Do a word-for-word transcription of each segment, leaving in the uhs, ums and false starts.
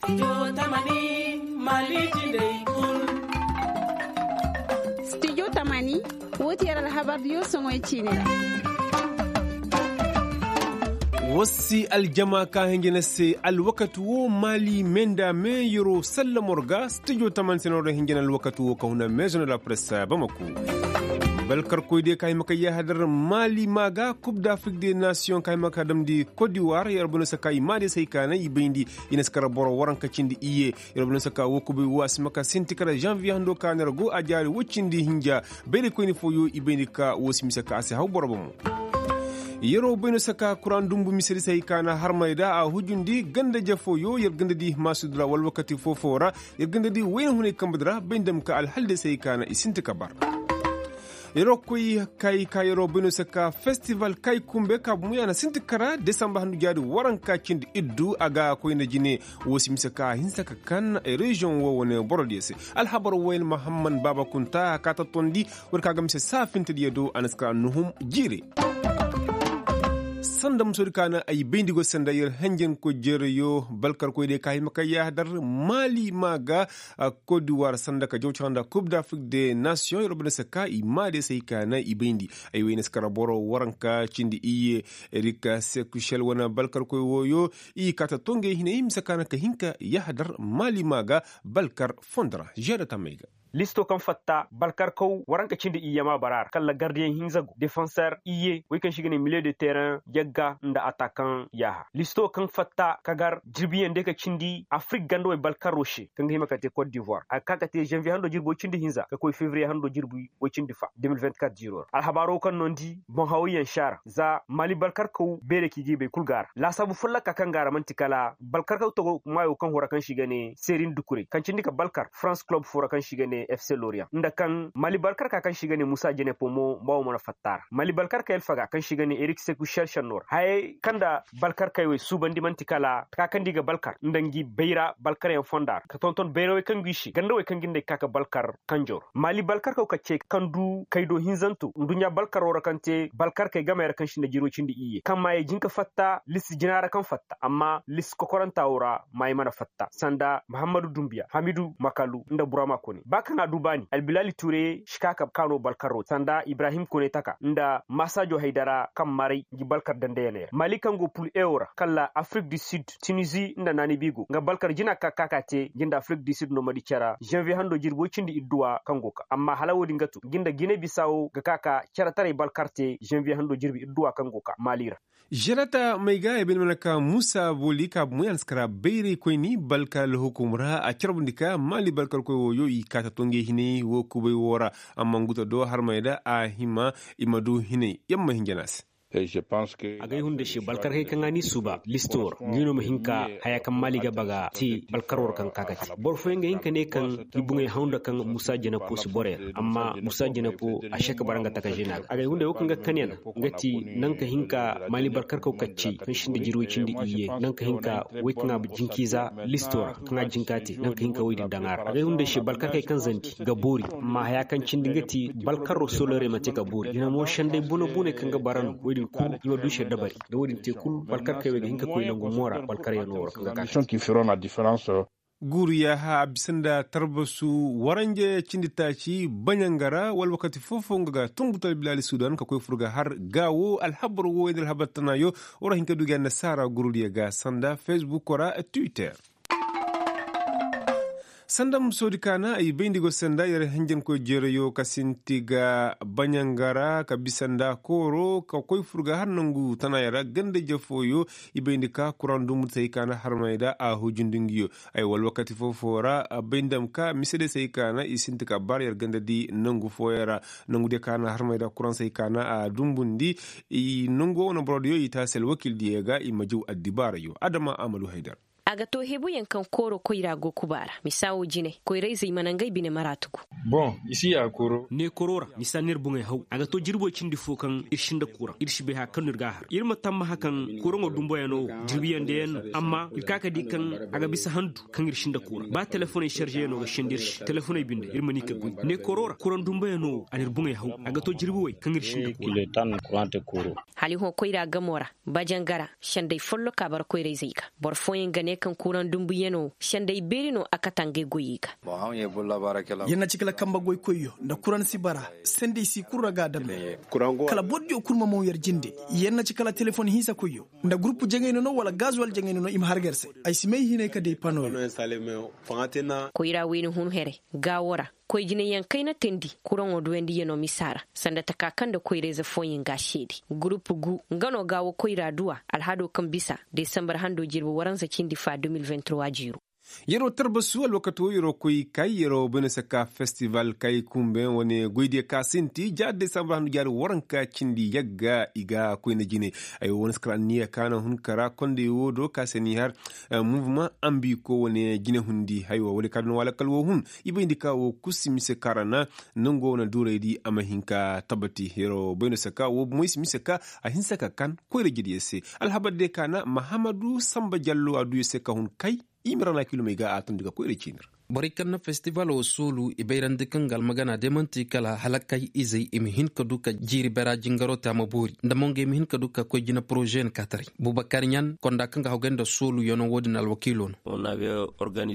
Studio tamani, woo ti yer alhabardiyo soŋoy ciini ra. War si aljama ka hinja na se alwakati woo maali me nda me yeroo sallamo ra ga studio tamani se no ra hinja na alwakati woo ka huna meezo na la presse bamako. Balkarkoy diyo ka hima ka yahadar maali maa ga kub da afrik de nasiyoŋ ka hima ka damndi kodiwar yer bano se ka i maa diyo se hay ka na i bayndi. I na si kara boro waranka cindi iyye. Yer bano se ka woo kubay woo a si ma ka sinti kara zanviye hando ka na yer go a jaari woy cindi hinja. Bayraykoyni fooyo i bayndi ka woo si mise ka a si haw boro bomo. Yeroo bay no saka kuraŋ dumbu misedi se hay ka na harmay da a hujundi ganda-je fooyo yer ganda di maasudu ra wala wakati foo-foo ra. Yer ganda di wayna hunay kambe di ra bay nda ma ka alhal day se hay ka na i sinti ka bar. Yeroo koy kay ka yeroo bay no saka festival kay kumbe ka bumo ya na sinti kara desamba handu jaari waranka cindi iddu a ga koyna jine. Woo si mise ka hinsa ka kan reziyoŋ woo wane borodiyo se. Alhabar wayna mahamman baaba kunta a ka tattondi. War ka ga mise saafintediyo do a na si ka nuhum jiire. Sanda musodi ka na ay bayndi go sanda yer hanjankoy jeerayo balkarkoy day ka hima ka yaadar maali maa ga. Kodiwar sanda ka jawcaka nda kub da afrik de nasiyoŋ yer banda se ka i maa de se hay ka na i bayndi. Ay wayna si kara boro waranka cindi iyye. Rika sekushel wane balkarkoy wooyo i kaata to ngey hinay mise ka na ka hin ka yaadar maali maa ga. Balkar fondo ra žeeda tamey ga. Listo kaŋ fatta balkarkaw waranka cindi iyye maa bara ra kala gardiyaŋ hinza go defenser iyye wey kaŋ se i ga ne miliye de tereŋ yagga nda atakaŋ yaaha listo kaŋ fatta ka gar jirbiyaŋ day ka cindi afrik ganda wey balkaro se kaŋ ga hima ka te kot divoir a ga ka ka te zanviye hando jirbo cindi hinza ka koy fevriye hando jirbi woy cindi fa de mil vingt-quatre ziro ra alhabaaro kaŋ no ni di boŋ hawayyaŋ se a ra za maali balkarkaw beere ka i ga i bay kul go a ra laasaabu folloka kaŋ go a ra man'ti kala balkarkaw togo maayo kaŋ hora kaŋ se i ga ne seerin dukurey kaŋ cindi ka balkar farans kulob foo ra kaŋ se i ga ne f c loriyaŋ nda kaŋ maali balkarka kaŋ se i ga ne musa jenepo mo mba wo mana fatta a ra maali balkarka yalfaga kaŋ se i ga ne erik seku sharshar no ra hayey kaŋ nda balkarkey wey suubandi man'ti kala ka kaŋ nda i ga balkar nda ngi bayra balkaryaŋ fonda ra ka tonton bayrawey kaŋ go i se ganda wey kaŋ ga nda ay ga ka ka balkar kanjo ra maali balkarkaw ka ce kaŋ du kaydo hinzanto nduɲɲa balkaro ra kaŋ te balkarkey gamey ra kaŋ sinda jirwey cindi iyye kaŋ maayey jin ka fatta listi jina ra kaŋ fatta amma listi kokoranta wo ra maayey mana fatta sanda muhammadu dumbiya hamidu makalu nda burama kone ba kaŋ a du baani albilaali tuurey si ka ka kaano balkaro sanda ibrahim kone taka nda masajo haydara kaŋ maray ngi balkar dandayaney ra maali kaŋ go pul ewo ra kala afrik du sid tinizi nda naanibi go nga balkar jina ka ka ka te ngi nda afrik du sid no ma di cara zanviye hando jirbi woy cindi idduwa kaŋ go ka amma hala wo-din ga to ngi nda gine bisa wo ga ka ka caretaray balkar te zanviye hando jirbi idduwa kaŋ go ka maali ra žerata may ga ay bay ni mana ka muusa booli ka bumo ya na si kara bayraykoyni balkar alhukum ra a carbundi ka maali balkarkoy wooyo i kaata to ngey hinay woo kubay woo ra amma nguta do harmay da a hima i ma du hinay yamma hinja no a se a ga ay hunda se balkarkey kaŋ a n'i suuba listo ra ngi no ma hin ka haya kaŋ maali ga baga te balkar war kaŋ ka ga te boro fooyaŋ ga hin ka ne kaŋ i buŋey haw nda kaŋ muusa jenepo si borey ra amma muusa jenepo a se ka bara nga taka žena ga a ga ay hunda wo kaŋ ga kan yana nga ti naŋ ka hin ka maali balkarkaw kacce kaŋ sinda jirwey cindi iyye naŋ ka hin ka wey kaŋ a jinkiiza listo ra kaŋ a jinka te naŋ ka hin ka wey din daŋ a ra a ga ay hunda se balkarkey kaŋ zandi ga boori amma haya kaŋ cindi nga ti balkaro solorey ma te ka boori jina mo senday bone-boney kaŋ ga bara no wey din kul i ma du se dabari da wo-din te kul balkarkey wey ga hin ka koy nangu moora balkaryaŋo ra kaŋ ga ka guuru yaaha a bisa nda tarbasu waranje cindi taaci baɲanga ra wala wakati foo-foo nga ga tungu talbilaali sudan ka koy fur ga har gaawo alhabar wooyo nda alhabar tanaayo war a hin ka du ga annasaara gurudiyo ga sanda fesbuk ra twitter sanda musoodi kaana ay bayndi go sanda yer hinjankoy jeerayo ka sinti ga baɲanga ra ka bisa nda kooro ka koy fur ga har nangu tanaaya ra ganda-ije fooyo i bayndi ka kuraŋ dumbu di se hay kaana harmay da a hujundi nguyo ay wala wakati foo-foo ra bay nda ma ka mise di se hay kaana i sinti ka bar yer ganda di nangu fooyaŋ ra nangu di kaana harmay da kuraŋ se hay kaana a dumbundi i nangu wo wane boro diyo i taasi alwakiil diyo ga i ma jaw addibaarayo adama amalu haydar a ga to hebuyaŋ kaŋ kooro koyra go kuba ra misa wo jine koyrayzey mana ngey bine mara tugu neekoro ra misa no ir boŋey haw a ga to jirbi way cindi fo kaŋ ir sinda kuraŋ ir si bay haya kaŋ no ir ga a har ir ma tammaha kaŋ kuraŋo dumboyaŋo wo jirbiyaŋ dayaŋ no amma ir ka ka di kaŋ a ga bisa handu kaŋ ir sinda kuraŋ ba telefoney sarzeyaŋo ga sendi ir se telefoney binde ir ma ni ka goy neekoro ra kuraŋ dumboyaŋo wo a na ir boŋey haw a ga to jirbi way kaŋ ir sinda kuraŋ hala i hõ koyra gamo ra bajangara sendey folloka bara koyrayzey ga boro fooyaŋ ga ne kaŋ kuraŋ dumbuyanoo senday beeri no a kata ngey goyey ga. Yer na ci kala kambe goykoyyo nda kuraŋ si bara senday si kul ra ga a dam. Kala bordiyo kul ma moŋ yer jinde. Yer na ci kala telefon hinsakoyyo nda gurupu jaŋayno no wala gazuwal jaŋayno no i ma har ga yer se. Ay si may hinay ka day pano. Koyra wayna hun here gaawo ra. Koy jinayaŋ kayna teendi kuraŋo duwandiyano misa ra sanda taka kaŋ nda koyra-ize fooyaŋ ga a seedi. Gurupu gu nga no gaawo koyra duwa alhado kaŋ bisa desambar hando jirbi waransa cindi fa de mil vingt trois jiiro. Yeroo tarbasu alwakato yeroo koy kay yeroo bayna saka festival kay kumbe wane goydiyo ka sinti ja desambar hando jaari waranka cindi yagga i ga koyna jine. Ay wo wane saka ra anniya ka na hun kara konday wo do ka se ni har. Muvuma ambi ko wane jine hundi haywa wala ka duna wala kal wo hun. I bayndi ka wo kusi mise ka ra na nango wane duuraydi a ma hin ka tabati yeroo bayna saka wo moy si mise ka a hinsa ka kan koyra jediyo se. Alhabar de ka na mahamadu samba jallo a duyo se ka hun kay. I ma ra na kilomey ga a tundi ga koyra ciini ra. Borey kaŋ na festival wo soolu i bayrandi kaŋ ga almagana day man'ti kala hala kay izey i ma hin ka du ka jiiri bera jingaroo te a ma boori nda mo nga i ma hin ka du ka koy jina porozeyaŋ kaataray. Bubakar ɲan konda kaŋ ga hawgay nda sooluyanoo wo-din alwakiiloo no.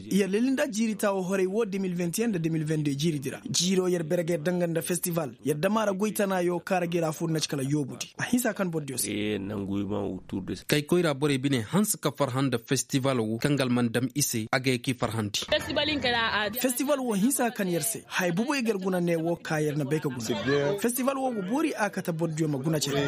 Yer lelli nda jiiri taawo horey wo de mil vingt et un nda de mil vingt deux jiiridi ra jiiroo yer bere ga yer danga nda festival yer dama ra goy tanaayo kaara ga yer a fur na ci kala yoobudi a hinsa kaŋ bordiyo se. Kay koyra borey bine hanse ka farhã nda festival wo kaŋ ga alman dam i se a ga ye k'i farhandi. Festival wo hinsa kaŋ yer se haya buboy ga yer guna ne wo ka yer na bay ka guna. Festival wo ga boori a kate bordiyo ma guna cere.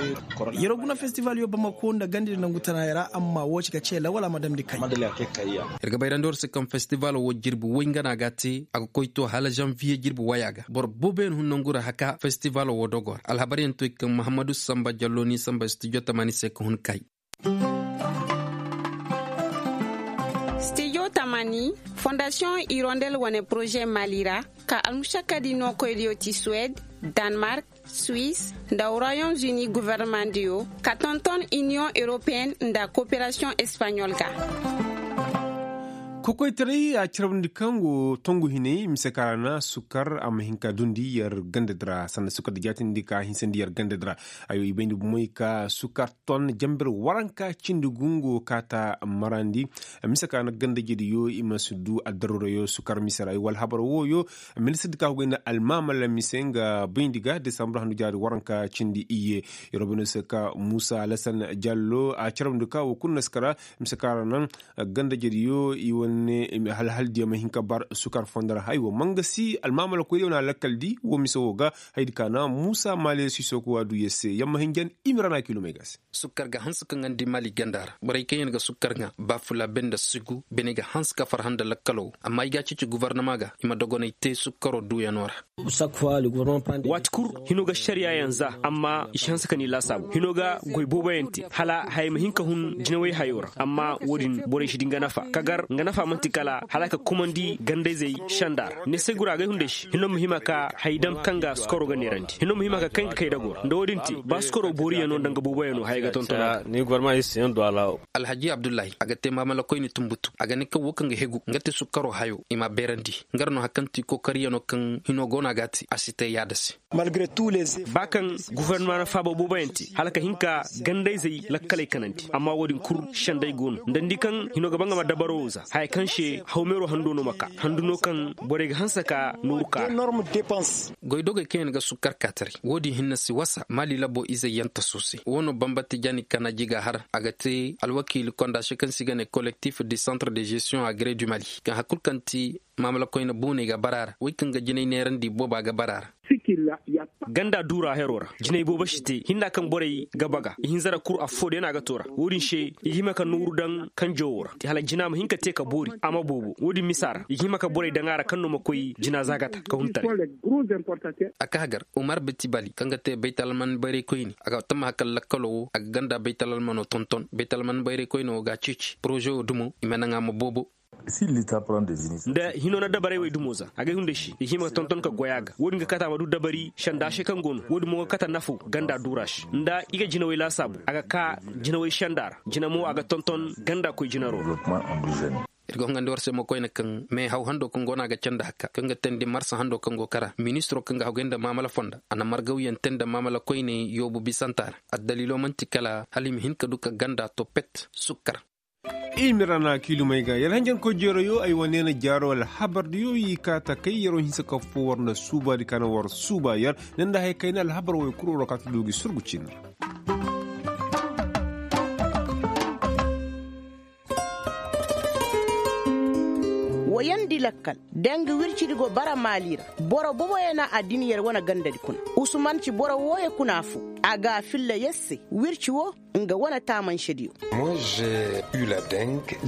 Yer guna festival yo bamako nda gandi nda nangu tanaaya ra amma wo ci ga ce lawala ma damndi kay. Yer ga bayrandi war se kaŋ festival wo jirbi woy nga na ga te a ga koy to hala zanviye jirbi waya ga boro booboyaŋ hun nangu ra haka festival wo dogo ra alhabaryaŋ to i kaŋ mahammadu samba jallo ni samba studio tamani se ka hun kay. Studio tamani fondasiyoŋ irondel wane poroze mali ra ka almušakadi no koydiyo ti suwed, danmark, suis, nda royaume uni governemandiyo ka tonton union europeyenne nda koperasiyoŋ espaɲol ga. Kokoytaray a carabndi kaŋ go tongu hinay mise ka ra na sukar a ma hin ka dundi yer gandadi ra sanda sukar da jaatindi ka hinsandi yer gandadi ra. Ayo i bayndi bumoy ka sukar ton jambir waranka cindi gungo kaata marandi. Mise ka na gandajediyo i ma si du addaruurayo sukar mise ra ay wala habar wooyo. Ministir di ka hugay nda almaamala mise nga bayndi ga desambur handu jaari waranka cindi iyye. Yer bayndi se ka muusa alasan jallo a carabndi ka wo kulu na si kara mise ka ra naŋ gandajediyo i wane halhaldiyo ma hin ka bar sukar fondo ra haywa mangasi almaamala koydiyo na lakkal di wo mise wo ga. Haydi ka na muusa maaliya siisoo ko a du yer se yamma hinjan i ma ra na kiilomey ga se. Sukkar ga hanse ka ŋandi mali ganda ra borey kaŋ yaŋ ga sukkar ŋa ba fula benda sigu bine ga hanse ka farhã nda lakkalo amma i ga a ceeci gobornama ga i ma dogonay te sukkaro duuyano ra. Waati kul hino ga ašariya yaŋ za amma i si hanse ka ni laasaabu hino ga goy booboyaŋ te hala haya ma hin ka hun jinawey hayo ra amma wo-din borey si di nga nafa ka gar nga nafa man'ti kala hala ka kumandi gandayzey senda ra ne se gura agay hunday se hino ma hima ka haya daŋ kaŋ ga sukkaro ga neerandi hino ma hima ka kay nga kay dago ra nda wo-din te ba sukkaro booriyaŋo nda nga booboyaŋo haya ga tonton. Alhaji abdullahi a ga te maamala koyne tumbutu a ga ne kaŋ wo kaŋ ga hegu nga te sukkaro hayo i m'a beerandi. Nga ra no hari kaŋ ti kookariyaŋo kaŋ hino go no a ga a te a si te yaada se. Ba kaŋ gofornama na faaba booboyaŋ te hala ka hin ka gandayzey lakkaley kanandi amma wo-din kul senday go no nda ni di kaŋ hino ga ba nga ma dabaro wo za haya kaŋ se hawmeero hando no ma ka handu no kaŋ borey ga hanse ka nooru ka. Goydogey kaŋ yaŋ ga sukkar kaataray wo-din hinne si wasa maali labo izey yaŋ taso se wo no bambar tijaani kana jiga har a ga te alwakiili konda se kaŋ se i ga ne kolektif du centre de gestion agree du mali kaŋ hari kul kaŋ ti maamala koyne booney ga bara a ra wey kaŋ ga jinay neerandi booba ga bara a ra. Ganda duura hero ra jinay boobo si te hinna kaŋ borey ga baga ihinza ra kul affoodeyaŋ a ga to ra wo-din se i ga hima ka nooru daŋ kanjo wo ra hala jina ma hin ka te ka boori a ma boobo wo-din misa ra i ga hima ka borey daŋ a ra kaŋ no ma koy jina zaagata ka hun taray. A ka hagar umar bitibali kaŋ ga te baytalalman bayray koyne a ga tamma hakal lakkalo wo a ga ganda baytalalmano tonton baytalalman bayray koyne wo ga a ceeci poroze wo dumo i ma naŋ a ma boobo. Nda hino na dabarey wey dumo za a ga ay hunday se i hima ga tonton ka goy a ga wo-din ga kata a ma du dabari senda se kaŋ go no wo-din mo ga kata nafo ganda duura se nda i ga jinawey laasaabu a ga ka jinawey senda ra jina mo a ga tonton ganda koy jinaro. Ir ga hongandi war se mo koyne kaŋ meehaw hando kaŋ go no a ga candi hakka kaŋ ga teendi marsa hando kaŋ go kara ministiro kaŋ ga haggoy nda maamala fonda a na margawyaŋ te nda maamala koyne yoobu bisanta ra. Addaliilo man'ti kala hala i ma hin ka du ka ganda to pet sukkar. Ilmi ra na kiilumey ga yer hanjankoy jeeroyo ay wane na jaaro alhabardiyo i kaa ta kay yeroo hinsa ka foo war nda suubaadi ka na war suuba yer. Ne nda haya kayna alhabar woy kul waroo kaa ta du gi surgu ciini ra. Woyandi lakkal, dangi wircidi go bara maali ra. Boro boboyo na a din yer wane gandadi kuna. Usuman ci boro wooyo kuna foo. A ga a filla yer se wirci woo nga wane taamansediyo.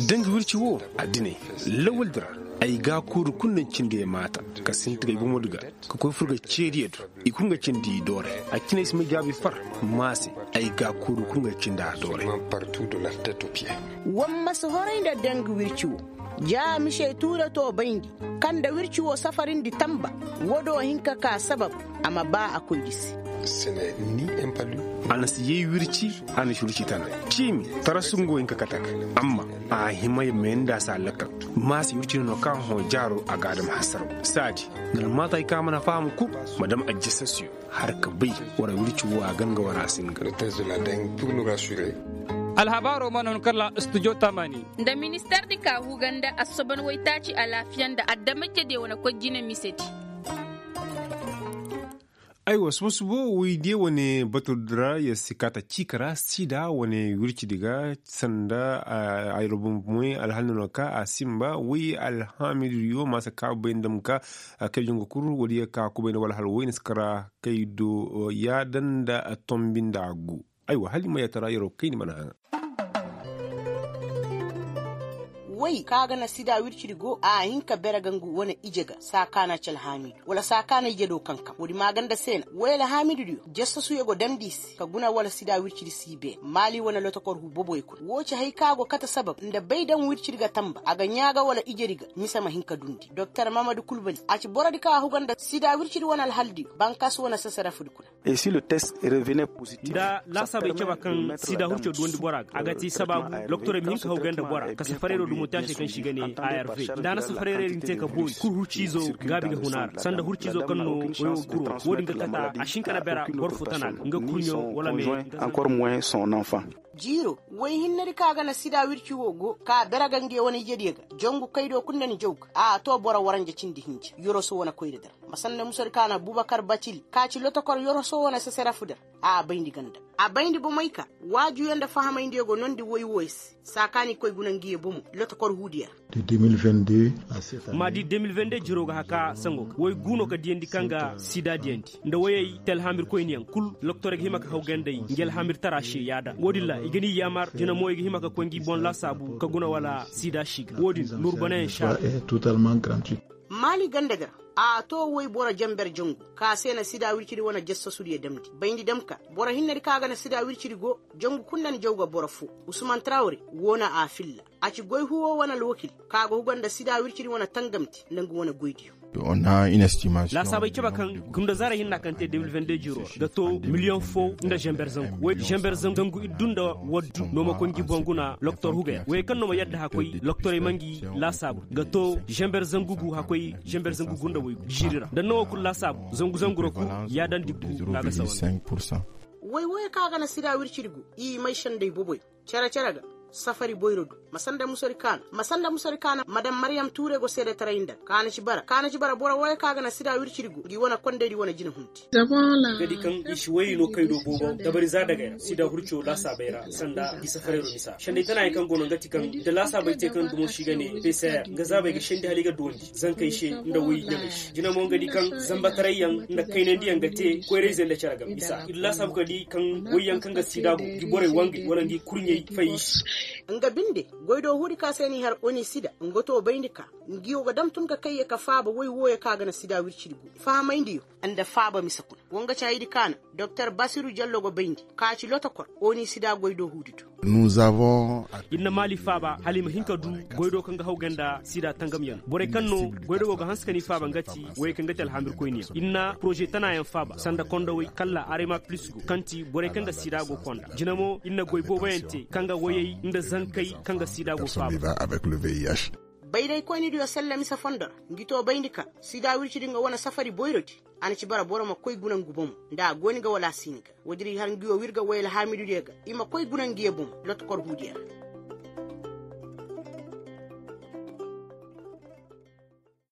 Dangi wirci woo, a dine, lawaldi ra. Ay gaakooru kul na cindi ay maata, ka sinti ga ay bomodi ga, ka koy fur ga ceediyo do. I kul nga cindi i dooray. A cinay si ma jaabi far, maase. Ay gaakooru kul nga cindi a dooray. War ma si horay nda dangi wirci woo. Ja mise tuuratoo bayndi, kaŋ nda wirci woo safarindi tanba. Woo do hin ka kaa sabab, a ma baa a koydi se. A na si yay wirci, a na si wirci tana. Ciimi, tarasu nga wo hin ka kate ga. Amma a hima ya meenda se a lakkal. Maase wirci no no kaŋ hõ jaaroo a ga a dam hasaraw. Saadi, nga almaatay kaŋ a mana faham kul, ma dam ajjasasiyo. Har ka bay, war wirci woo a gan ga war a singa. Alhabaaroo mana hun kalla studio tamani. Nda ministardi ka huga nda assoban waytaaci alaafiya nda adamajediyo wane koy jine misedi. Aywa suba suba woy diyo wane baturdi ra yer si kaata ciika ra sida wane wircidi ga sanda. Ay ra bumbumoy alhal no na ka a sinba woy alhaamidiyo maasa ka bay nda ma ka. Kay jongo kul woodiyo ka kubay nda wala hal woy na si kara kay do yaadanda tombi nda a gu. Aywa hali ma yatara yeroo kayni mana haŋa. Woy ka ga na sida wircidi go a hin ka bere ga ngu wane ije ga saa ka na ci alhaamidu wala saa ka na ije do kankam woodi maaganda se na woy alhaamidudiyo jasasuyo go damndi i se ka guna wala sida wircidi si beene maali wane lotokor huu boboyo kuna woo ci hay ka go kate sabab nda bay daŋ wircidi ga tanba a ga ɲaa ga wala ijedi ga mise ma hin ka dundi doktor mamadu kulbali a ci borodi ka huga nda sida wircidi wane alhaldiyo bankas wane sesarafudi kuna. Nda laasaabey caba kaŋ sida hurco duwandi bora ga a ga ti sabaabu doktorey ma hin ka hawgay nda bora ka safareeroo dumo te a se kaŋ se i ga ne arv. Nda a na safareerey din te ka boori kul hurciizo gaabi ga huna ra sanda hurciizo kaŋ no woyo kuro wo-din ga kata a si hin ka na bera boro fo tana ga nga kurɲo wala me. Jiiro woy hinnedi kaŋ a ga na sida wirci wo go ka bera ga nga wane ijediyo ga jangu kaydo kul nda ni jaw ga a to boro waranja cindi hinja yoroso wane koyra dar. Ma sanda musadi kaŋ a na bubakar batili ka ci lotokor yoroso wane seserafu dar. A bayndi ganda a bayndi bomey ka waajuyo nda fahamayndiyo go nondi woy wooyo se saa kaŋ a ni koy guna ngiyo bomo lotokor huudiyo ra. Ma di de mil vende jiro ga haka sango ga woy gu no ka diyandi kaŋ ga sida diyandi nda woyey te alhaamir koyniyaŋ kul loktorey ga hima ka haw ganday ngi alhaamir tara se yaada wo-din ra i ga ni yaamar jina mo i ga hima ka koy ngi boŋ laasaabu ka guna wala sida si ga wo-din nurbanayaŋ se a ra. Maali ganda ga ra a to woy boro jenber jangu ka se na sida wircidi wane jasasudiyo damndi bayndi dam ka boro hinnedi kaŋ a ga na sida wircidi go jangu kul nda ni jaw ga boro foo usman tarawre woo na a filla. A ci goy huwo wane alwakil ka ga huga nda sida wircidi wane tangamte nda nga wane goydiyo. Laasaabey caba kaŋ gunda zaara hinna kaŋ te de mil vende jiro ra ga to miliyoŋ foo nda zenber zangu woy zenber zangu iddu nda waddu no ma koy ngi boŋ guna loktor hugay ra woyey kaŋ no ma yadda hakoy loktorey ma ngi laasaabu ga to zenber zangu gu hakoy zenber zangu gu nda woy gu jiiri ra nda no wo kulu laasaabu zangu zangu ra kulu yaadandi gu no a ga sawa. Woy woyey kaŋ a ga na sida wircidi gu i may sendey boboy cere cere ga safari boyro du ma sanda musari kaana ma sanda musari kaana madam mariyam tuure go seedetaray nda kaana ci bara kaana ci bara boro wooyo kaŋ a ga na sida wirciri go ngi wane kondaydi wane jina hunti. Nga di kaŋ i si wayey no kaydo boobo dabari za dagay ra sida hurco laasaabay ra sanda i safarayro misa sendey tana yaŋ kaŋ go no nga ti kaŋ da laasaabay te kaŋ dumo si ga ne pcr nga zaabay ga sendi hala i ga duwandi zankey se nda way ɲamey se jina mo nga di kaŋ zambataray yaŋ nda kaynandi yaŋ ga te koyra-ize nda care game misa i di laasaabu ka di kaŋ wayyaŋ kaŋ ga sida go ngi borey wangey wala ngi kurɲey fay i se. Nga binde goy do huudi ka se n'i har oni sida nga to bayndi ka ngi wo ga dam tun ka kayye ka faaba way wooyo ka ga na sida wircidi go fahamayndi yo nda faaba mise kuna. Wo nga ci haydi ka na doktor basiru jallo go bayndi ka ci lotokor oni sida goy do huudi do. Ir na maali faaba hala i ma hin ka du goy do kaŋ ga hawgay nda sida tangamyaŋ borey kaŋ no goy do go ga hanse ka ni faaba nga ti wayey kaŋ ga ti alhamirkoyniyaŋ ir na poroze tanayaŋ faaba sanda kondowey kalla arema plis go kaŋ ti borey kaŋ ga sida go konda jina mo ir na goy booboyaŋ te kaŋ ga wayey nda zankey kaŋ ga sida go faaba. Bayraykoynidiyo selle mise fondo ra ngi to bayndi ka sida wircidi nga wane safari boyrodi. A na ci bara boro ma koy guna ngu bomo nda a go ni ga wala a si ni ga woodin ir har ngi wo wir ga way alhaamidudiyo ga i ma koy guna ngi ye bomo lotokor huudiyo ra.